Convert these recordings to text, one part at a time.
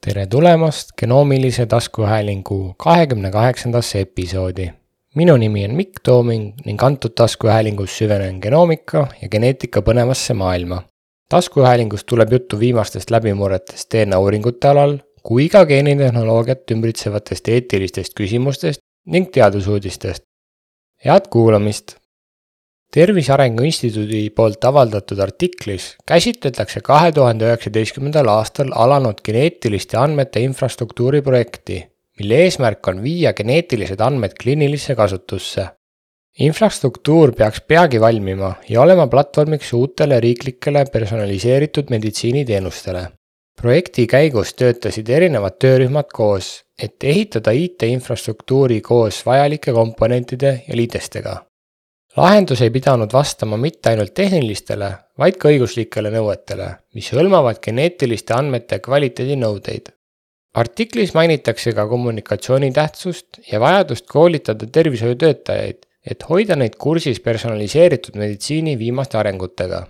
Tere tulemast genoomilise taskuhäälingu 28. episoodi. Minu nimi on Mikk Tooming ning antud taskuhäälingus süvenen genoomika ja geneetika põnevasse maailma. Taskuhäälingus tuleb juttu viimastest läbimurretest DNA uuringute alal, kui ka geenitehnoloogiat ümbritsevatest eetilistest küsimustest ning teadusuudistest. Head kuulamist! Tervise Arengu Instituudi poolt avaldatud artiklis käsitletakse 2019. aastal alanud geneetiliste andmete infrastruktuuri projekti, mille eesmärk on viia geneetilised andmed kliinilisse kasutusse. Infrastruktuur peaks peagi valmima ja olema platvormiks uutele riiklikele personaliseeritud meditsiiniteenustele. Projekti käigus töötasid erinevad töörühmad koos, et ehitada IT-infrastruktuuri koos vajalike komponentide ja liidestega. Lahendus ei pidanud vastama mitte ainult tehnilistele, vaid ka õiguslikele nõuetele, mis hõlmavad geneetiliste andmete kvaliteedinõudeid. Artiklis mainitakse ka kommunikatsiooni tähtsust ja vajadust koolitada tervishoiutöötajaid, et hoida neid kursis personaliseeritud meditsiini viimaste arengutega.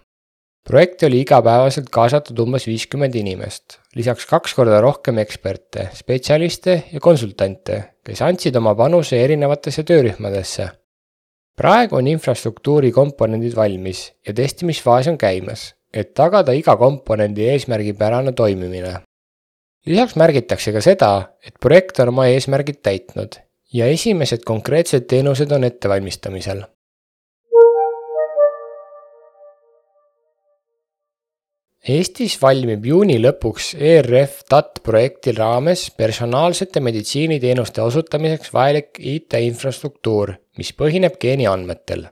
Projekti oli igapäevaselt kaasatud umbes 50 inimest, lisaks 2 korda rohkem eksperte, spetsialiste ja konsultante, kes andsid oma panuse erinevatesse töörühmadesse. Praegu on infrastruktuuri komponendid valmis ja testimisfaas on käimas, et tagada iga komponendi eesmärgipärane toimimine. Lisaks märgitakse ka seda, et projekt on oma eesmärgid täitnud ja esimesed konkreetsed teenused on ettevalmistamisel. Eestis valmib juuni lõpuks ERF-TAT projekti raames personaalsete meditsiiniteenuste osutamiseks vajalik IT-infrastruktuur, mis põhineb geeniandmetel.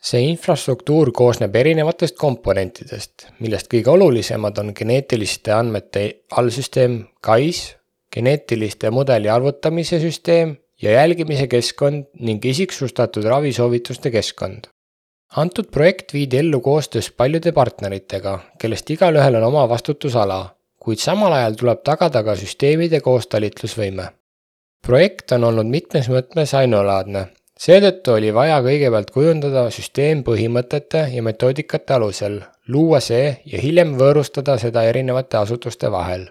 See infrastruktuur koosneb erinevatest komponentidest, millest kõige olulisemad on geneetiliste andmete allsüsteem GAIS, geneetiliste mudeli arvutamise süsteem ja jälgimise keskkond ning isiksustatud ravisoovituste keskkond. Antud projekt viidi ellu koostöös paljude partneritega, kellest igalühel on oma vastutusala, kuid samal ajal tuleb tagada ka süsteemide koostalitlusvõime. Projekt on olnud mitmes mõttes ainulaadne, seetõttu oli vaja kõigepealt kujundada süsteem põhimõtete ja metoodikate alusel, luua see ja hiljem võõrustada seda erinevate asutuste vahel.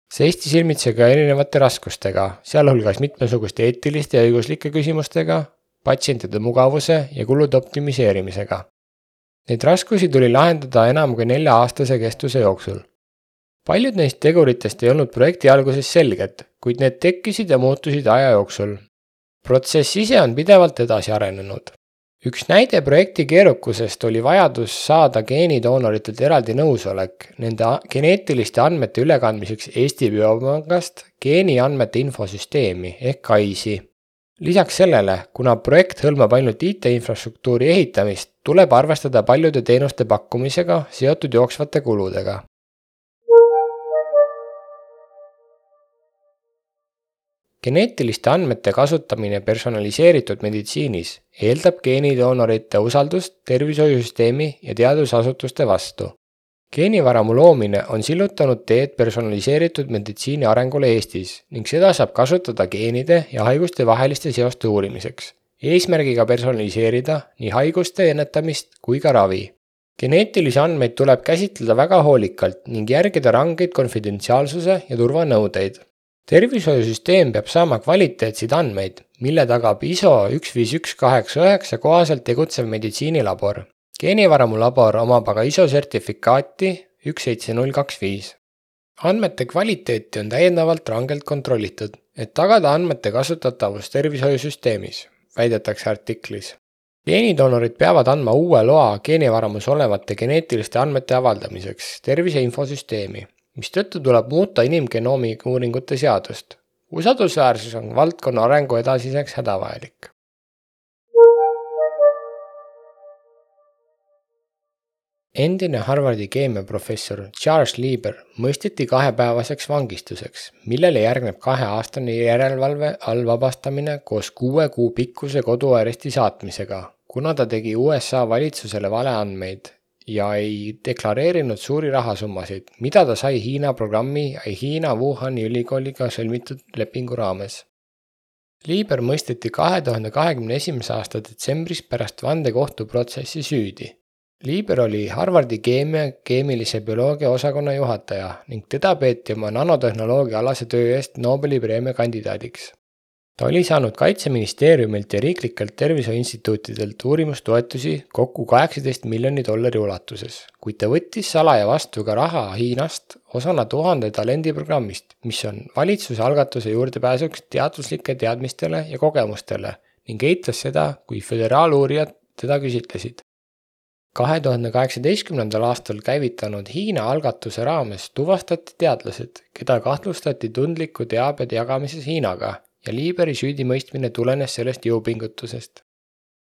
Seisti silmitse ka erinevate raskustega, sealhulgas mitmesuguste eetiliste ja õiguslike küsimustega, patsientide mugavuse ja kulude optimiseerimisega. Neid raskusi tuli lahendada enam kui 4-aastase kestuse jooksul. Paljud neist teguritest ei olnud projekti alguses selged, kuid need tekkisid ja muutusid aja jooksul. Protsess ise on pidevalt edasi arenenud. Üks näide projekti keerukusest oli vajadus saada geenidoonoritelt eraldi nõusolek nende geneetiliste andmete ülekandmiseks Eesti Biopangast geeniandmete infosüsteemi ehk GAIS-i. Lisaks sellele, kuna projekt hõlmab ainult IT-infrastruktuuri ehitamist, tuleb arvestada paljude teenuste pakkumisega seotud jooksvate kuludega. Geneetiliste andmete kasutamine personaliseeritud meditsiinis eeldab geenidoonorite usaldust tervishoiusüsteemi ja teadusasutuste vastu. Geenivaramu loomine on sillutanud teed personaliseeritud meditsiini arengule Eestis ning seda saab kasutada geenide ja haiguste vaheliste seoste uurimiseks, eesmärgiga personaliseerida nii haiguste ennetamist kui ka ravi. Geneetilisi andmeid tuleb käsitleda väga hoolikalt ning järgida rangeid konfidentsiaalsuse ja turvanõudeid. Tervishoiusüsteem peab saama kvaliteetseid andmeid, mille tagab ISO 15189 kohaselt tegutsev meditsiinilabor. Geenivaramu labor omab aga ISO sertifikaati 17025. Andmete kvaliteeti on täiendavalt rangelt kontrollitud, et tagada andmete kasutatavus tervishoiusüsteemis, väidetakse artiklis. Geenidoonorid peavad andma uue loa geenivaramus olevate geneetiliste andmete avaldamiseks tervise infosüsteemi, mistõttu tuleb muuta inimgenoomi uuringute seadust. Usaldusväärsus on valdkonna arengu edasiseks hädavajalik. Endine Harvardi keemiaprofessor Charles Lieber mõisteti 2-päevaseks vangistuseks, millele järgneb 2-aastane järelevalve all vabastamine koos 6 kuu pikkuse koduaresti saatmisega, kuna ta tegi USA valitsusele valeandmeid ja ei deklareerinud suuri rahasummasid, mida ta sai Hiina programmi ja Hiina Wuhani ülikooliga sõlmitud lepingu raames. Lieber mõisteti 2021. aasta detsembris pärast vandekohtuprotsessi süüdi. Lieber oli Harvardi keemilise bioloogia osakonna juhataja ning teda peeti oma nanotehnoloogia alase töö eest Nobeli preemia kandidaadiks. Ta oli saanud Kaitseministeeriumilt ja riiklikelt tervishoiuinstituutidelt uurimustoetusi kokku $18 miljoni ulatuses, kuid ta võttis salaja vastu ka raha Hiinast osana 1000 talendiprogrammist, mis on valitsuse algatuse juurdepääsuks teaduslike teadmistele ja kogemustele ning eitas seda, kui föderaaluurijad teda küsitlesid. 2018. aastal käivitanud Hiina algatuse raames tuvastati teadlased, keda kahtlustati tundliku teabe jagamises Hiinaga ja Lieberi süüdimõistmine tulenes sellest jõupingutusest.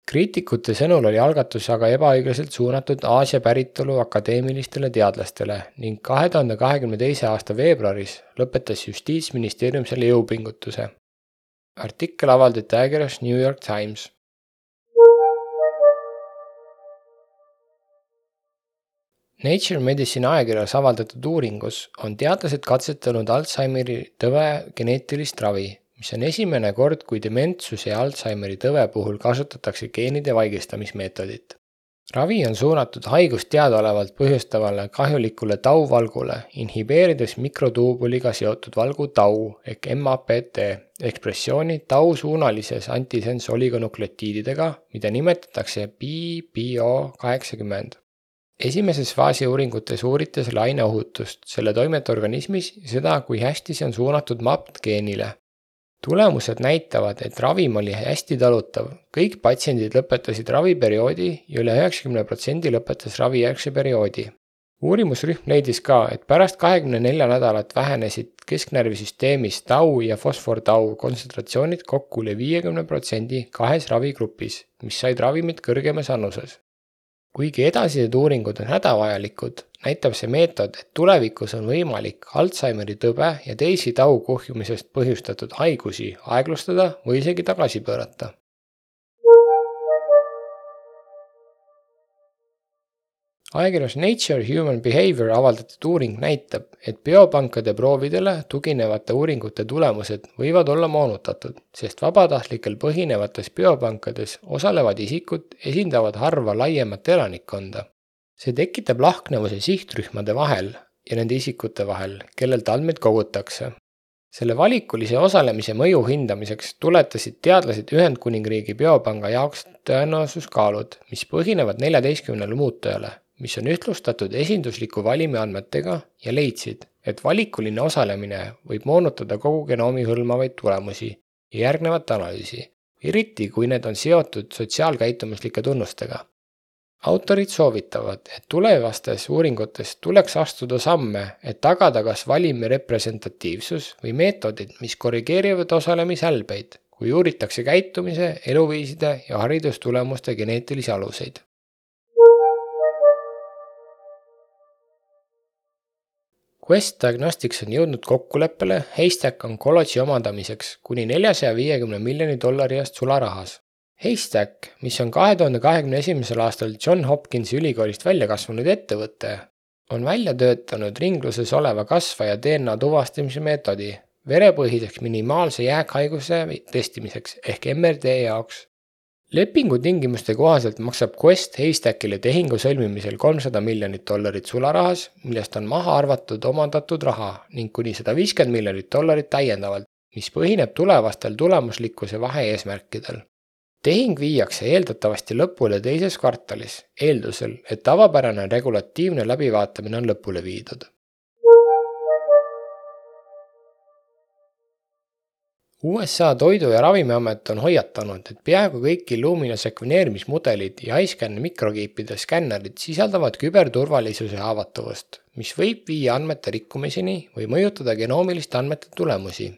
Kriitikute sõnul oli algatus aga ebaõiglaselt suunatud Aasia päritolu akadeemilistele teadlastele ning 2022. aasta veebruaris lõpetas Justiitsministeerium selle jõupingutuse. Artikkel avaldati ajakirjas New York Times. Nature Medicine ajakirjas avaldatud uuringus on teadlased katsetanud Alzheimeri tõve geneetilist ravi, mis on esimene kord, kui dementsuse ja Alzheimeri tõve puhul kasutatakse geenide vaigistamismeetodit. Ravi on suunatud haigust teadaolevalt põhjustavale kahjulikule tauvalgule, inhibeerides mikrotuubuliga seotud valgu tau ehk MAPT ekspressiooni tau-suunalises antisens oligonukleotiididega, mida nimetatakse BBO80. Esimeses faasi uuringutes uuriti selle aine ohutust, selle toimet organismis ja seda, kui hästi see on suunatud MAPT-geenile. Tulemused näitavad, et ravim oli hästi talutav. Kõik patsiendid lõpetasid raviperioodi ja üle 90% lõpetas ravijärgse perioodi. Uurimusrühm leidis ka, et pärast 24 nädalat vähenesid kesknärvisüsteemis tau ja fosfortau kontsentratsioonid kokku üle 50% kahes ravigrupis, mis said ravimit kõrgemas annuses. Kuigi edasised uuringud on hädavajalikud, näitab see meetod, et tulevikus on võimalik Alzheimeri tõbe ja teisi tau kuhjumisest põhjustatud haigusi aeglustada või isegi tagasi pöörata. Ajakirjas Nature Human Behavior avaldatud uuring näitab, et biopankade proovidele tuginevate uuringute tulemused võivad olla moonutatud, sest vabatahtlikel põhinevates biopankades osalevad isikud esindavad harva laiemat elanikkonda. See tekitab lahknevuse sihtrühmade vahel ja nende isikute vahel, kellelt andmeid kogutakse. Selle valikulise osalemise mõju hindamiseks tuletasid teadlased Ühendkuningriigi biopanga jaoks tõenäosuskaalud, mis põhinevad 14 muutujale, mis on ühtlustatud esindusliku valimi andmetega ja leidsid, et valikuline osalemine võib moonutada kogu genoomi hõlmavaid tulemusi ja järgnevat analüüsi, eriti kui need on seotud sotsiaalkäitumislike tunnustega. Autorid soovitavad, et tulevastes uuringutes tuleks astuda samme, et tagada kas valimi representatiivsus või meetodid, mis korrigeerivad osalemishälbeid, kui uuritakse käitumise, eluviiside ja haridustulemuste geneetilisi aluseid. Quest Diagnostics on jõudnud kokkuleppele Haystack Oncology omandamiseks kuni $450 miljoni eest sularahas. Haystack, mis on 2021. aastal Johns Hopkinsi ülikoolist välja kasvanud ettevõte, on välja töötanud ringluses oleva kasvaja DNA tuvastamise meetodi verepõhiseks minimaalse jääkhaiguse testimiseks ehk MRD jaoks. Lepingu tingimuste kohaselt maksab Quest Haystackile tehingu sõlmimisel $300 miljonit sularahas, millest on maha arvatud omandatud raha ning kuni $150 miljonit täiendavalt, mis põhineb tulevastel tulemuslikkuse vahe-eesmärkidel. Tehing viiakse eeldatavasti lõpule teises kvartalis, eeldusel, et tavapärane regulatiivne läbivaatamine on lõpule viidud. USA Toidu- ja Ravimiamet on hoiatanud, et peaaegu kõik Illumina sekveneerimismudelid ja iScan mikrokiipide skännerid sisaldavad küberturvalisuse haavatavust, mis võib viia andmete rikkumiseni või mõjutada genoomiliste andmete tulemusi.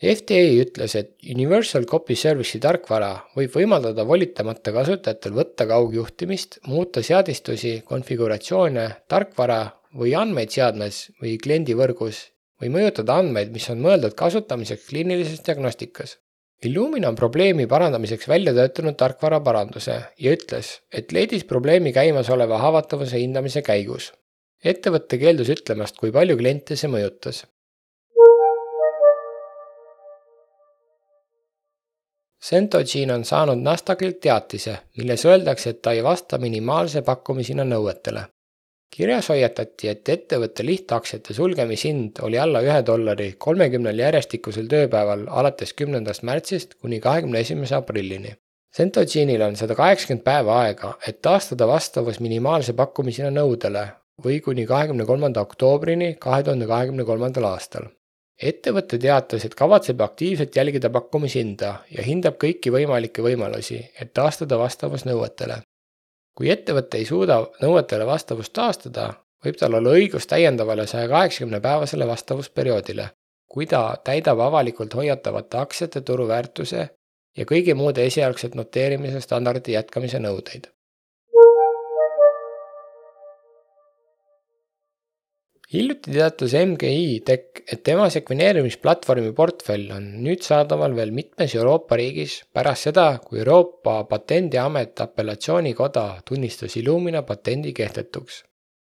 FDA ütles, et Universal Copy Service'i tarkvara võib võimaldada volitamata kasutajatel võtta kaugjuhtimist, muuta seadistusi, konfiguratsioone, tarkvara või andmeid seadmes või kliendivõrgus või mõjutada andmeid, mis on mõeldud kasutamiseks kliinilises diagnostikas. Illumina on probleemi parandamiseks välja töötanud tarkvara paranduse ja ütles, et leidis probleemi käimasoleva haavatavuse hindamise käigus. Ettevõtte keeldus ütlemast, kui palju kliente see mõjutas. Centogene on saanud Nasdaqilt teatise, milles öeldakse, et ta ei vasta minimaalse pakkumishinna nõuetele. Kirjas hoiatati, et ettevõtte lihtaktsiate sulgemishind oli alla $1 30 järjestikusel tööpäeval alates 10. märtsist kuni 21. aprillini. Centogenil on 180 päeva aega, et taastada vastavus minimaalse pakkumishinna nõudele või kuni 23. oktoobrini 2023. aastal. Ettevõte teatas, et kavatseb aktiivselt jälgida pakkumishinda ja hindab kõiki võimalikke võimalusi, et taastada vastavus nõuetele. Kui ettevõte ei suuda nõuetele vastavust taastada, võib tal olla õigus täiendavale 180-päevasele vastavusperioodile, kui ta täidab avalikult hoiatavate aktsiate turuväärtuse ja kõigi muude esialgset noteerimise standardi jätkamise nõudeid. Hiljuti teatas MGI Tech, et tema sekveneerimisplatvormi portfell on nüüd saadaval veel mitmes Euroopa riigis pärast seda, kui Euroopa Patendiamet apellatsioonikoda tunnistas Illumina patendi kehtetuks.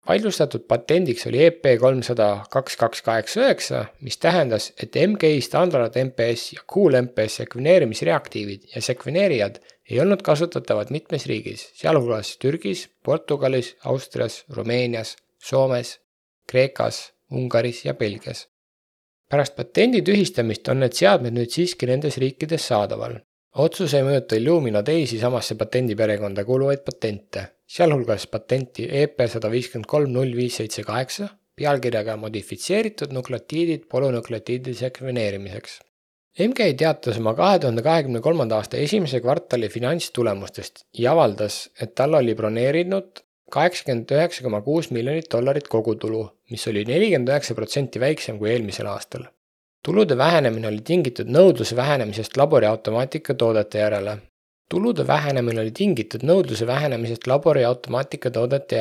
Vaidlustatud patendiks oli EP3002289, mis tähendas, et MGI standard MPS ja Cool MPS sekveneerimisreaktiivid ja sekveneerijad ei olnud kasutatavad mitmes riigis, sealhulgas Türgis, Portugalis, Austrias, Rumeenias, Soomes, Kreekas, Ungaris ja Belgias. Pärast patendi tühistamist on need seadmed nüüd siiski nendes riikides saadaval. Otsus ei mõjuta Illumina teisi samasse patendiperekonda kuuluvaid patente, sealhulgas patenti EP1530578 pealkirjaga modifitseeritud nukleotiidid polünukleotiidide sekveneerimiseks. MGI teatas oma 2023. aasta esimese kvartali finantstulemustest ja avaldas, et tal oli broneerinud $89,6 miljonit kogutulu, mis oli 49% väiksem kui eelmisel aastal. Tulude vähenemine oli tingitud nõudluse vähenemisest laboriautomaatika toodete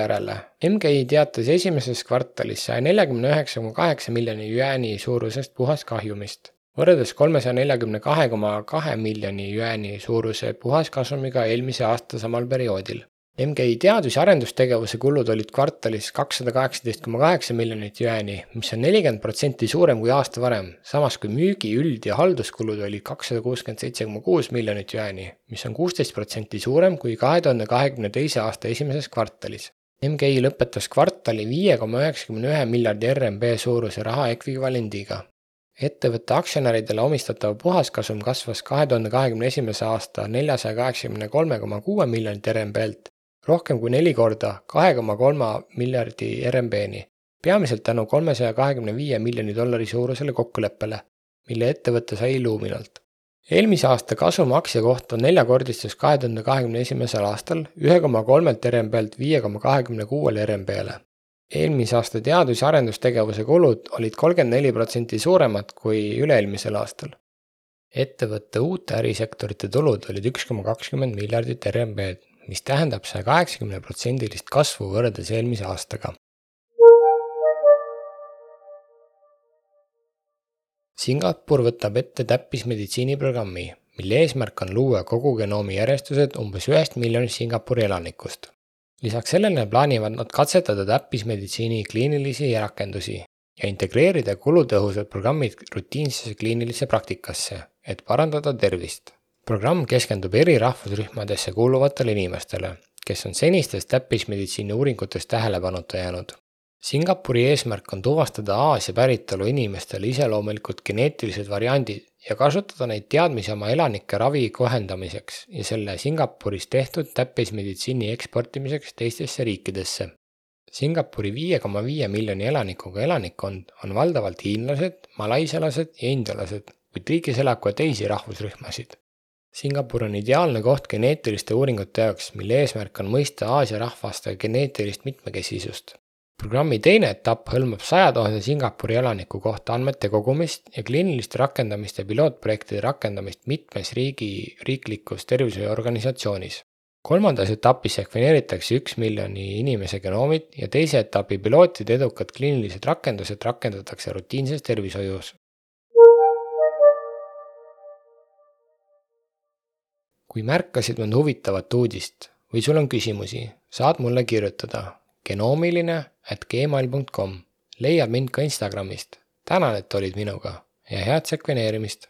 järele. MGI teatas esimeses kvartalis 149,8 miljoni jüääni suurusest puhaskahjumist, võrreldes 342,2 miljoni jüääni suuruse puhaskasumiga eelmise aasta samal perioodil. MGI teadus- ja arendustegevuse kulud olid kvartalis 218,8 miljonit jüääni, mis on 40% suurem kui aasta varem, samas kui müügi üld- ja halduskulud olid 267,6 miljonit jüääni, mis on 16% suurem kui 2022. aasta esimeses kvartalis. MGI lõpetas kvartali 5,91 miljardi RMB suuruse raha ekvivalendiga. Ettevõtte aktsionäridele omistatav puhaskasum kasvas 2021. aasta 483,6 miljonit RMB-lt rohkem kui 4 korda 2,3 miljardi RMB-ni, peamiselt tänu $325 miljoni suurusele kokkuleppele, mille ettevõte sai Illuminalt. Eelmise aasta kasum aktsia kohta neljakordistus 2021. aastal 1,3 RMB-lt 5,26 RMB-le. Eelmise aasta teadus- ja arendustegevuse kulud olid 34% suuremad kui üle-eelmisel aastal. Ettevõtte uute ärisektorite tulud olid 1,20 miljardit RMB-d, mis tähendab 180% kasvu võrreldes eelmise aastaga. Singapur võtab ette täppismeditsiiniprogrammi, mille eesmärk on luua kogu genoomi järjestused umbes 1 miljonist Singapuri elanikust. Lisaks sellele plaanivad nad katsetada täppismeditsiini kliinilisi rakendusi ja integreerida kulutõhusad programmid rutiinsesse kliinilisse praktikasse, et parandada tervist. Programm keskendub eri rahvusrühmadesse kuuluvatele inimestele, kes on senistest täppismeditsiini uuringutest tähelepanuta jäänud. Singapuri eesmärk on tuvastada Aasia päritolu inimestele iseloomulikud geneetilised variandid ja kasutada neid teadmisi oma elanike ravi kohendamiseks ja selle Singapuris tehtud täppismeditsiini eksportimiseks teistesse riikidesse. Singapuri 5,5 miljoni elanikuga elanikkond on valdavalt hiinlased, malaisialased ja indialased, kuid riigis elab ka teisi rahvusrühmasid. Singapur on ideaalne koht geneetiliste uuringute jaoks, mille eesmärk on mõista Aasia rahvaste geneetilist mitmekesisust. Programmi teine etapp hõlmab 100 000 Singapuri elaniku kohta andmete kogumist ja kliiniliste rakendamiste pilootprojektide rakendamist mitmes riiklikus tervishoiuorganisatsioonis. Kolmandas etapis sekveneeritakse 1 miljoni inimese genoomid ja teise etapi pilootide edukad kliinilised rakendused rakendatakse rutiinses tervishoius. Kui märkasid mõnd huvitavat uudist või sul on küsimusi, saad mulle kirjutada genoomiline@gmail.com. Leiad mind ka Instagramist. Tänan, et olid minuga ja head sekveneerimist!